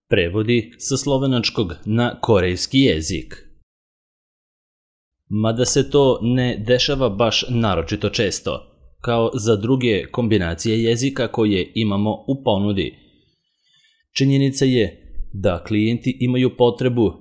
Prevodi sa slovenačkog na korejski jezik. Mada se to ne dešava baš naročito često, kao za druge kombinacije jezika koje imamo u ponudi. Činjenica je da klijenti imaju potrebu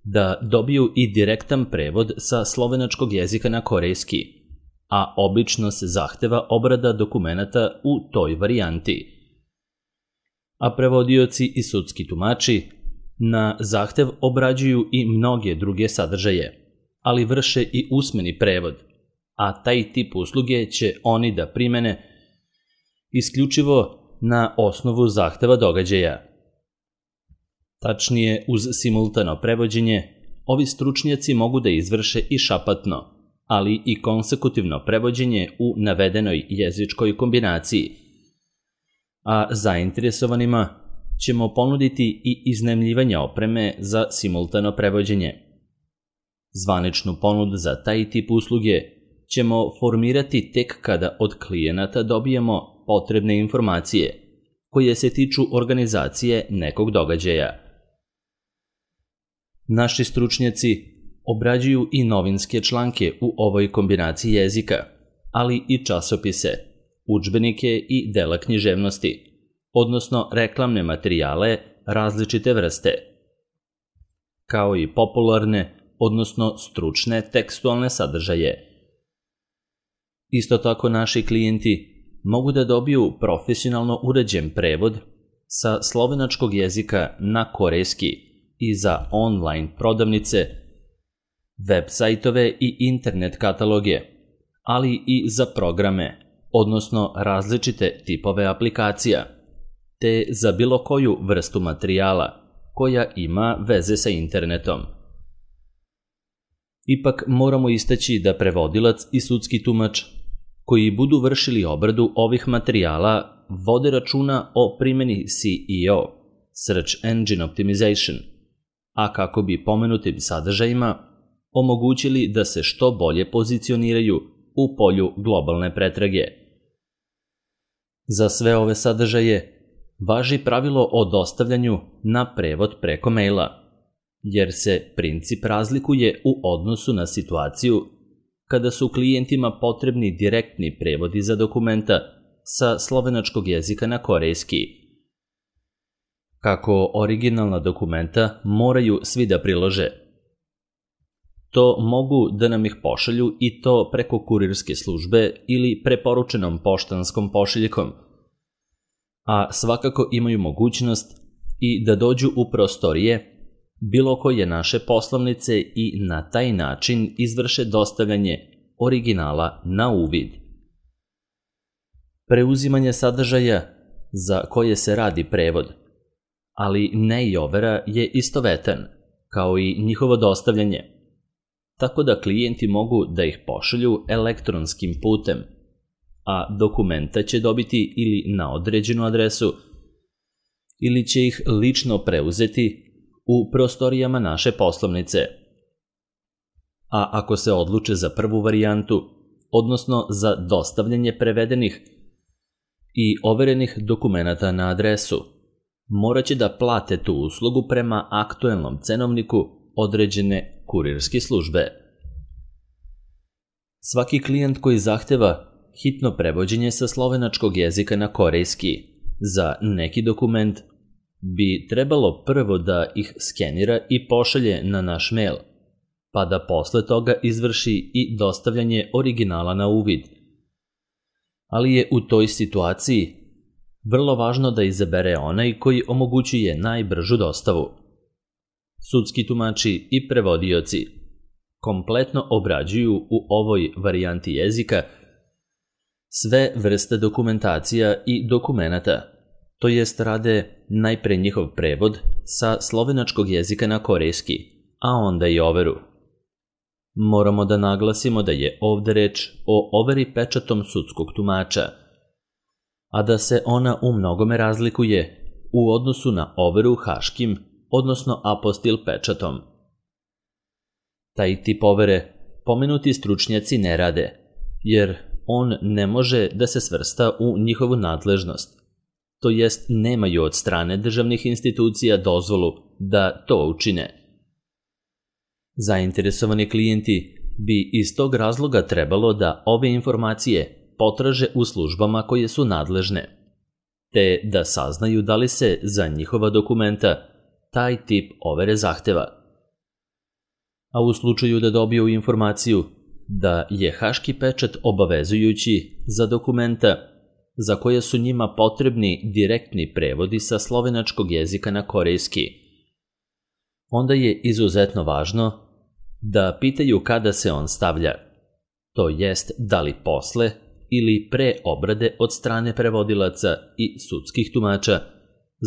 da dobiju i direktan prevod sa slovenačkog jezika na korejski, a obično se zahteva obrada dokumenata u toj varijanti. A prevodioci i sudski tumači na zahtev obrađuju i mnoge druge sadržaje, ali vrše i usmeni prevod, a taj tip usluge će oni da primene isključivo na osnovu zahteva događaja. Tačnije, uz simultano prevođenje, ovi stručnjaci mogu da izvrše i šapatno, ali i konsekutivno prevođenje u navedenoj jezičkoj kombinaciji, a zainteresovanima ćemo ponuditi i iznajmljivanje opreme za simultano prevođenje. Zvaničnu ponudu za taj tip usluge ćemo formirati tek kada od klijenata dobijemo potrebne informacije koje se tiču organizacije nekog događaja. Naši stručnjaci obrađuju i novinske članke u ovoj kombinaciji jezika, ali i časopise, udžbenike i dela književnosti, odnosno reklamne materijale različite vrste, kao i popularne, odnosno stručne tekstualne sadržaje. Isto tako naši klijenti mogu da dobiju profesionalno urađen prevod sa slovenačkog jezika na korejski i za online prodavnice, web sajtove i internet kataloge, ali i za programe, odnosno različite tipove aplikacija, te za bilo koju vrstu materijala koja ima veze sa internetom. Ipak moramo istaći da prevodilac i sudski tumač koji budu vršili obradu ovih materijala vode računa o primjeni SEO, Search Engine Optimization, a kako bi pomenutim sadržajima omogućili da se što bolje pozicioniraju u polju globalne pretrage. Za sve ove sadržaje važi pravilo o dostavljanju na prevod preko maila, jer se princip razlikuje u odnosu na situaciju kada su klijentima potrebni direktni prevodi za dokumenta sa slovenačkog jezika na korejski. Kako originalna dokumenta moraju svi da prilože, to mogu da nam ih pošalju i to preko kurirske službe ili preporučenom poštanskom pošiljkom, a svakako imaju mogućnost i da dođu u prostorije bilo koje naše poslovnice i na taj način izvrše dostavljanje originala na uvid. Preuzimanje sadržaja za koje se radi prevod, ali ne i overa, je istovetan, kao i njihovo dostavljanje, tako da klijenti mogu da ih pošalju elektronskim putem, a dokumenta će dobiti ili na određenu adresu, ili će ih lično preuzeti u prostorijama naše poslovnice. A ako se odluče za prvu varijantu, odnosno za dostavljanje prevedenih i overenih dokumenata na adresu, morat će da plate tu uslugu prema aktuelnom cenovniku određene kurirske službe. Svaki klijent koji zahteva hitno prevođenje sa slovenačkog jezika na korejski za neki dokument bi trebalo prvo da ih skenira i pošalje na naš mail, pa da posle toga izvrši i dostavljanje originala na uvid. Ali je u toj situaciji vrlo važno da izabere onaj koji omogućuje najbržu dostavu. Sudski tumači i prevodioci kompletno obrađuju u ovoj varijanti jezika sve vrste dokumentacija i dokumenata, to jest rade najpre njihov prevod sa slovenačkog jezika na korejski, a onda i overu. Moramo da naglasimo da je ovde reč o overi pečatom sudskog tumača, a da se ona u mnogome razlikuje u odnosu na overu haškim, odnosno apostil pečatom. Taj tip overe pomenuti stručnjaci ne rade, jer on ne može da se svrsta u njihovu nadležnost. to jest nemaju od strane državnih institucija dozvolu da to učine. Zainteresovani klijenti bi iz tog razloga trebalo da ove informacije potraže u službama koje su nadležne, te da saznaju da li se za njihova dokumenta taj tip overe zahteva. A u slučaju da dobiju informaciju da je haški pečat obavezujući za dokumenta za koje su njima potrebni direktni prevodi sa slovenačkog jezika na korejski, onda je izuzetno važno da pitaju kada se on stavlja, to jest da li posle ili pre obrade od strane prevodilaca i sudskih tumača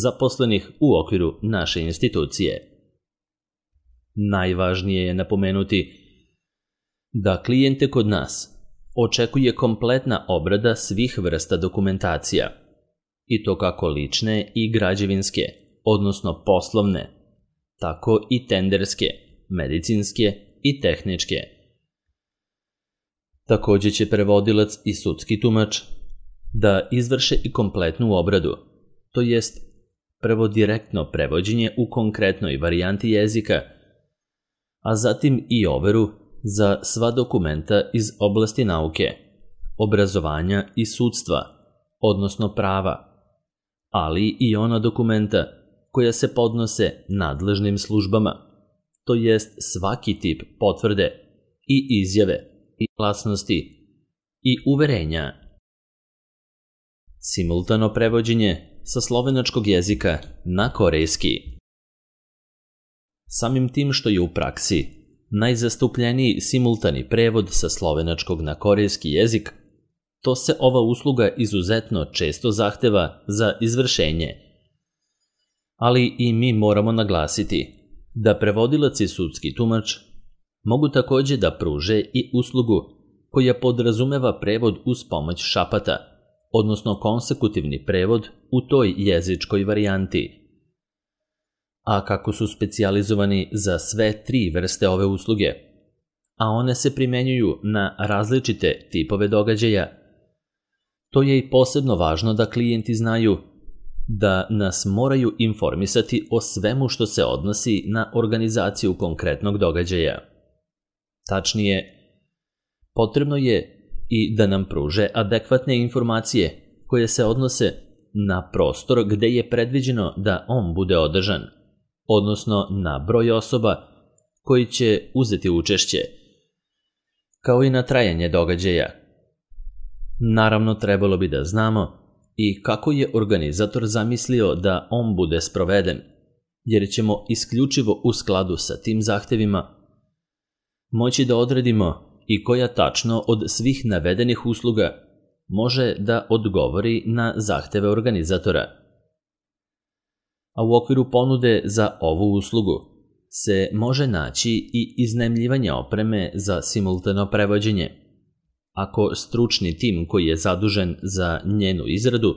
zaposlenih u okviru naše institucije. Najvažnije je napomenuti da klijente kod nas očekuje kompletna obrada svih vrsta dokumentacija, i to kako lične i građevinske, odnosno poslovne, tako i tenderske, medicinske i tehničke. Takođe će prevodilac i sudski tumač da izvrše i kompletnu obradu, to jest prvo direktno prevođenje u konkretnoj varijanti jezika, a zatim i overu za sva dokumenta iz oblasti nauke, obrazovanja i sudstva, odnosno prava, ali i ona dokumenta koja se podnose nadležnim službama, to jest svaki tip potvrde i izjave i glasnosti i uverenja. Simultano prevođenje sa slovenačkog jezika na korejski. Samim tim što je u praksi najzastupljeniji simultani prevod sa slovenačkog na korejski jezik, to se ova usluga izuzetno često zahteva za izvršenje. Ali i mi moramo naglasiti da prevodilac i sudski tumač mogu takođe da pruže i uslugu koja podrazumeva prevod uz pomoć šapata, odnosno konsekutivni prevod u toj jezičkoj varijanti. A kako su specijalizovani za sve tri vrste ove usluge, a one se primenjuju na različite tipove događaja, to je i posebno važno da klijenti znaju da nas moraju informisati o svemu što se odnosi na organizaciju konkretnog događaja. Tačnije, potrebno je i da nam pruže adekvatne informacije koje se odnose na prostor gde je predviđeno da on bude održan, odnosno na broj osoba koji će uzeti učešće, kao i na trajanje događaja. Naravno, trebalo bi da znamo i kako je organizator zamislio da on bude sproveden, jer ćemo isključivo u skladu sa tim zahtevima moći da odredimo i koja tačno od svih navedenih usluga može da odgovori na zahteve organizatora. A u okviru ponude za ovu uslugu se može naći i iznajmljivanje opreme za simultano prevođenje, ako stručni tim koji je zadužen za njenu izradu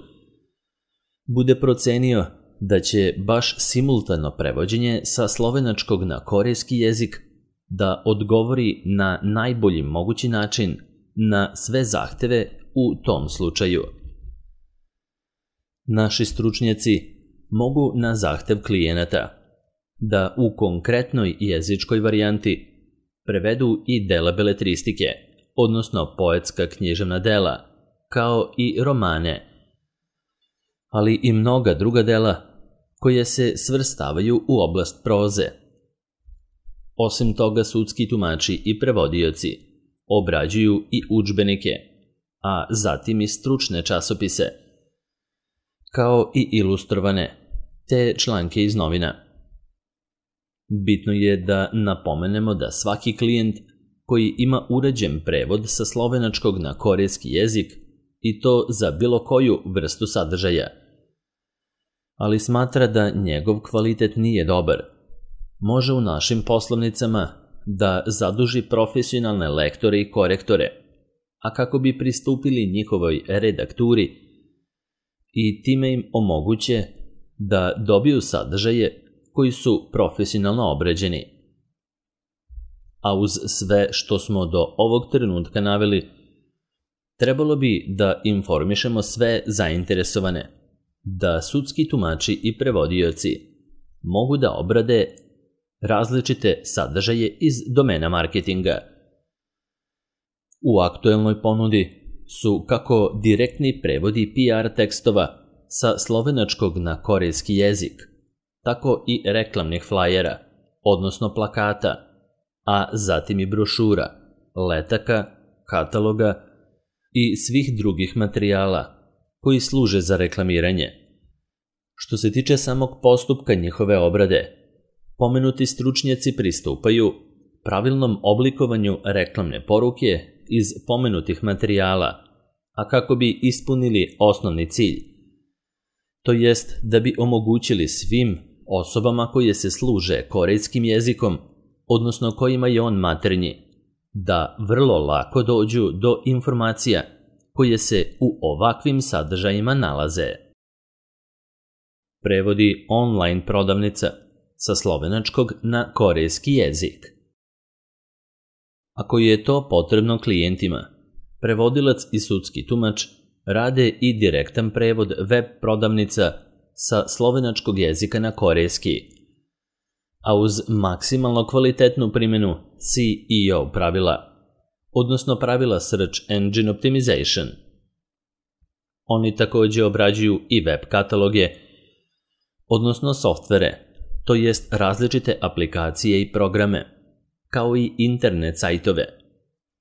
bude procenio da će baš simultano prevođenje sa slovenačkog na korejski jezik da odgovori na najbolji mogući način na sve zahteve u tom slučaju. Naši stručnjaci mogu na zahtev klijenata da u konkretnoj jezičkoj varijanti prevedu i dela beletristike, odnosno poetska književna dela, kao i romane, ali i mnoga druga dela koje se svrstavaju u oblast proze. Osim toga, sudski tumači i prevodioci obrađuju i udžbenike, a zatim i stručne časopise, kao i ilustrovane, te članke iz novina. Bitno je da napomenemo da svaki klijent koji ima uređen prevod sa slovenačkog na korejski jezik, i to za bilo koju vrstu sadržaja, ali smatra da njegov kvalitet nije dobar, može u našim poslovnicama da zaduži profesionalne lektore i korektore, a kako bi pristupili njihovoj redakturi i time im omoguće da dobiju sadržaje koji su profesionalno obrađeni. A uz sve što smo do ovog trenutka naveli, trebalo bi da informišemo sve zainteresovane da sudski tumači i prevodioci mogu da obrade različite sadržaje iz domena marketinga. U aktuelnoj ponudi su kako direktni prevodi PR tekstova sa slovenačkog na korejski jezik, tako i reklamnih flajera, odnosno plakata, a zatim i brošura, letaka, kataloga i svih drugih materijala koji služe za reklamiranje. Što se tiče samog postupka njihove obrade, pomenuti stručnjaci pristupaju pravilnom oblikovanju reklamne poruke iz pomenutih materijala, a kako bi ispunili osnovni cilj, to jest da bi omogućili svim osobama koje se služe korejskim jezikom, odnosno kojima je on maternji, da vrlo lako dođu do informacija koje se u ovakvim sadržajima nalaze. Prevodi online prodavnica sa slovenačkog na korejski jezik. Ako je to potrebno klijentima, prevodilac i sudski tumač rade i direktan prevod web prodavnica sa slovenačkog jezika na korejski, a uz maksimalno kvalitetnu primjenu SEO pravila, odnosno pravila Search Engine Optimization. Oni također obrađuju i web kataloge, odnosno softvere, to jest različite aplikacije i programe, kao i internet sajtove,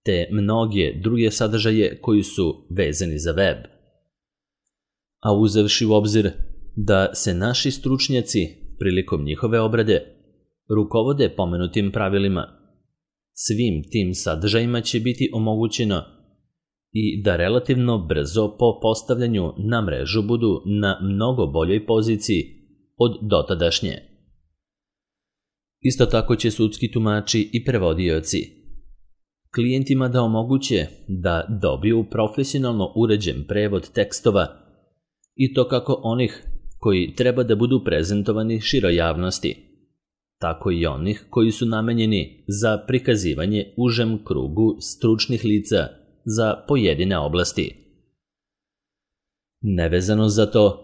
te mnoge druge sadržaje koji su vezani za web. A uzevši u obzir da se naši stručnjaci prilikom njihove obrade rukovode pomenutim pravilima, svim tim sadržajima će biti omogućeno i da relativno brzo po postavljanju na mrežu budu na mnogo boljoj poziciji od dotadašnje. Isto tako će sudski tumači i prevodioci klijentima da omoguće da dobiju profesionalno uređen prevod tekstova i to kako onih koji treba da budu prezentovani široj javnosti, tako i onih koji su namenjeni za prikazivanje užem krugu stručnih lica za pojedine oblasti. Nevezano za to,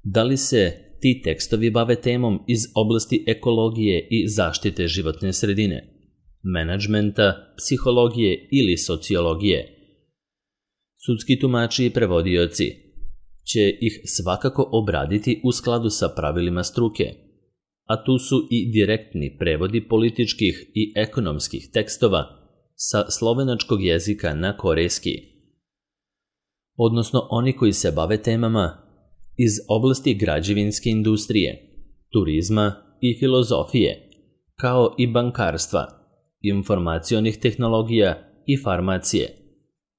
da li se ti tekstovi bave temom iz oblasti ekologije i zaštite životne sredine, menadžmenta, psihologije ili sociologije, sudski tumači i prevodioci će ih svakako obraditi u skladu sa pravilima struke, a tu su i direktni prevodi političkih i ekonomskih tekstova sa slovenačkog jezika na korejski, odnosno oni koji se bave temama iz oblasti građevinske industrije, turizma i filozofije, kao i bankarstva, informacionih tehnologija i farmacije,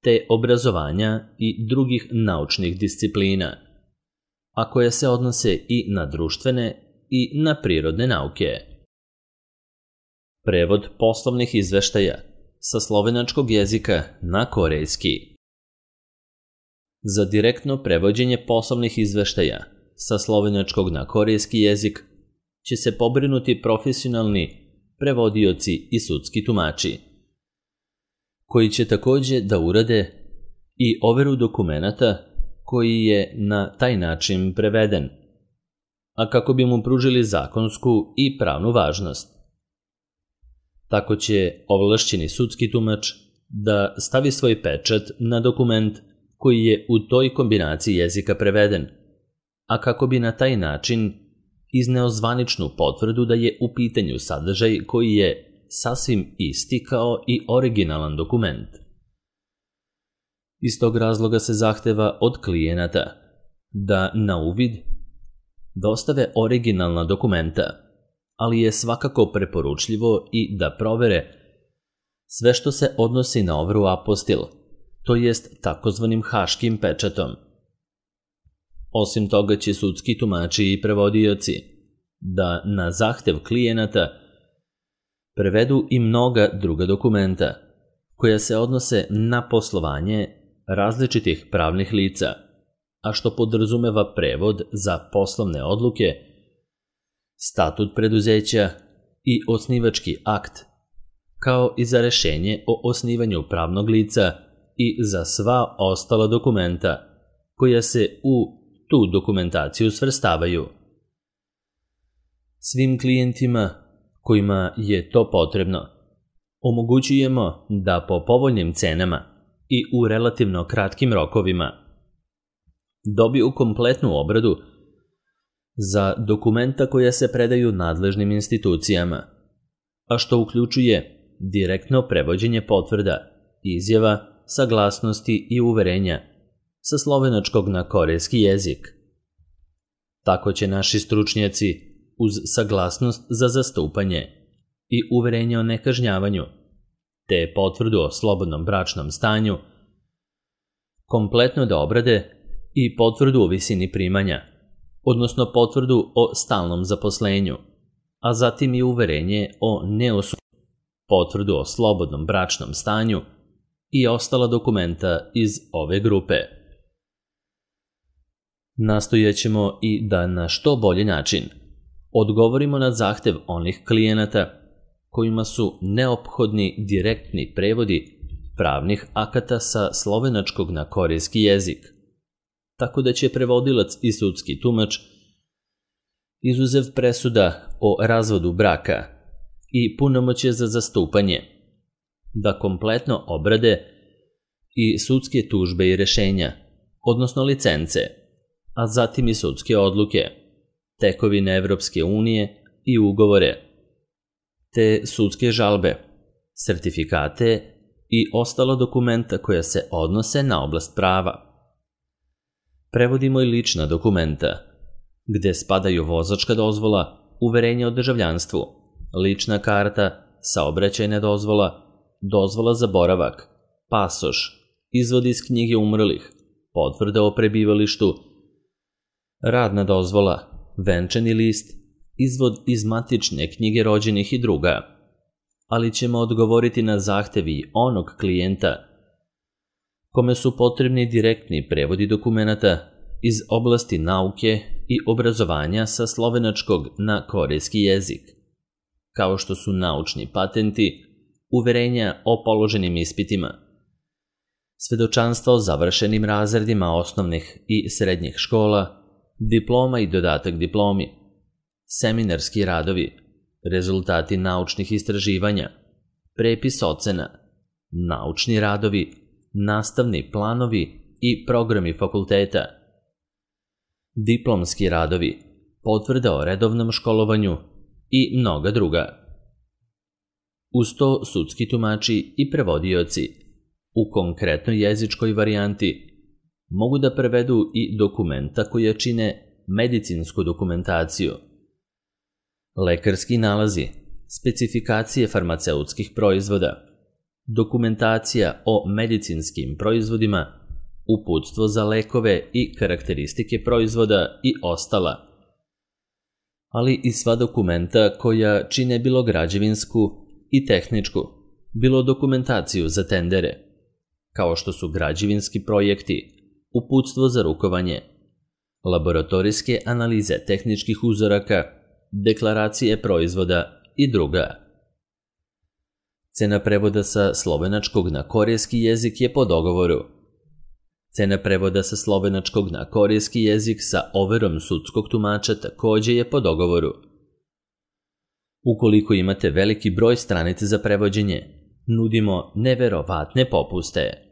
te obrazovanja i drugih naučnih disciplina, a koje se odnose i na društvene i na prirodne nauke. Prevod poslovnih izveštaja sa slovenačkog jezika na korejski. Za direktno prevođenje poslovnih izveštaja sa slovenačkog na korejski jezik će se pobrinuti profesionalni prevodioci i sudski tumači, koji će također da urade i overu dokumenata koji je na taj način preveden, a kako bi mu pružili zakonsku i pravnu važnost. Tako će ovlašćeni sudski tumač da stavi svoj pečat na dokument koji je u toj kombinaciji jezika preveden, a kako bi na taj način izneo zvaničnu potvrdu da je u pitanju sadržaj koji je sasvim isti kao i originalan dokument. Iz tog razloga se zahteva od klijenata da na uvid dostave originalna dokumenta, ali je svakako preporučljivo i da provere sve što se odnosi na overu apostil, to jest takozvanim haškim pečatom. Osim toga će sudski tumači i prevodioci da na zahtev klijenata prevedu i mnoga druga dokumenta koja se odnose na poslovanje različitih pravnih lica, a što podrazumeva prevod za poslovne odluke, statut preduzeća i osnivački akt, kao i za rešenje o osnivanju pravnog lica i za sva ostala dokumenta koja se u tu dokumentaciju svrstavaju. Svim klijentima kojima je to potrebno omogućujemo da po povoljnim cenama i u relativno kratkim rokovima dobiju kompletnu obradu za dokumenta koja se predaju nadležnim institucijama, a što uključuje direktno prevođenje potvrda, izjava, saglasnosti i uverenja sa slovenačkog na korejski jezik. Tako će naši stručnjaci uz saglasnost za zastupanje i uverenje o nekažnjavanju, te potvrdu o slobodnom bračnom stanju, kompletno da obrade i potvrdu o visini primanja, odnosno potvrdu o stalnom zaposlenju, a zatim i uverenje o neosuđenju, potvrdu o slobodnom bračnom stanju i ostala dokumenta iz ove grupe. Nastojaćemo i da na što bolji način odgovorimo na zahtev onih klijenata kojima su neophodni direktni prevodi pravnih akata sa slovenačkog na korejski jezik, tako da će prevodilac i sudski tumač, izuzev presuda o razvodu braka i punomoćje za zastupanje, da kompletno obrade i sudske tužbe i rešenja, odnosno licence, a zatim i sudske odluke, tekovine Evropske unije i ugovore, te sudske žalbe, sertifikate i ostala dokumenta koja se odnose na oblast prava. Prevodimo i lična dokumenta, gde spadaju vozačka dozvola, uverenje o državljanstvu, lična karta, saobraćajna dozvola, dozvola za boravak, pasoš, izvod iz knjige umrlih, potvrda o prebivalištu, radna dozvola, venčani list, izvod iz matične knjige rođenih i druga, ali ćemo odgovoriti na zahtevi onog klijenta kome su potrebni direktni prevodi dokumenata iz oblasti nauke i obrazovanja sa slovenačkog na korejski jezik, kao što su naučni patenti, uverenja o položenim ispitima, svedočanstva o završenim razredima osnovnih i srednjih škola, diploma i dodatak diplomi, seminarski radovi, rezultati naučnih istraživanja, prepis ocena, naučni radovi, nastavni planovi i programi fakulteta, diplomski radovi, potvrda o redovnom školovanju i mnoga druga. Uz to sudski tumači i prevodioci u konkretnoj jezičkoj varijanti mogu da prevedu i dokumenta koja čine medicinsku dokumentaciju, lekarski nalazi, specifikacije farmaceutskih proizvoda, dokumentacija o medicinskim proizvodima, uputstvo za lekove i karakteristike proizvoda i ostala, ali i sva dokumenta koja čine bilo građevinsku i tehničku, bilo dokumentaciju za tendere, kao što su građevinski projekti, uputstvo za rukovanje, laboratorijske analize tehničkih uzoraka, deklaracije proizvoda i druga. Cena prevoda sa slovenačkog na korejski jezik je po dogovoru. Cena prevoda sa slovenačkog na korejski jezik sa overom sudskog tumača takođe je po dogovoru. Ukoliko imate veliki broj stranica za prevođenje, nudimo neverovatne popuste.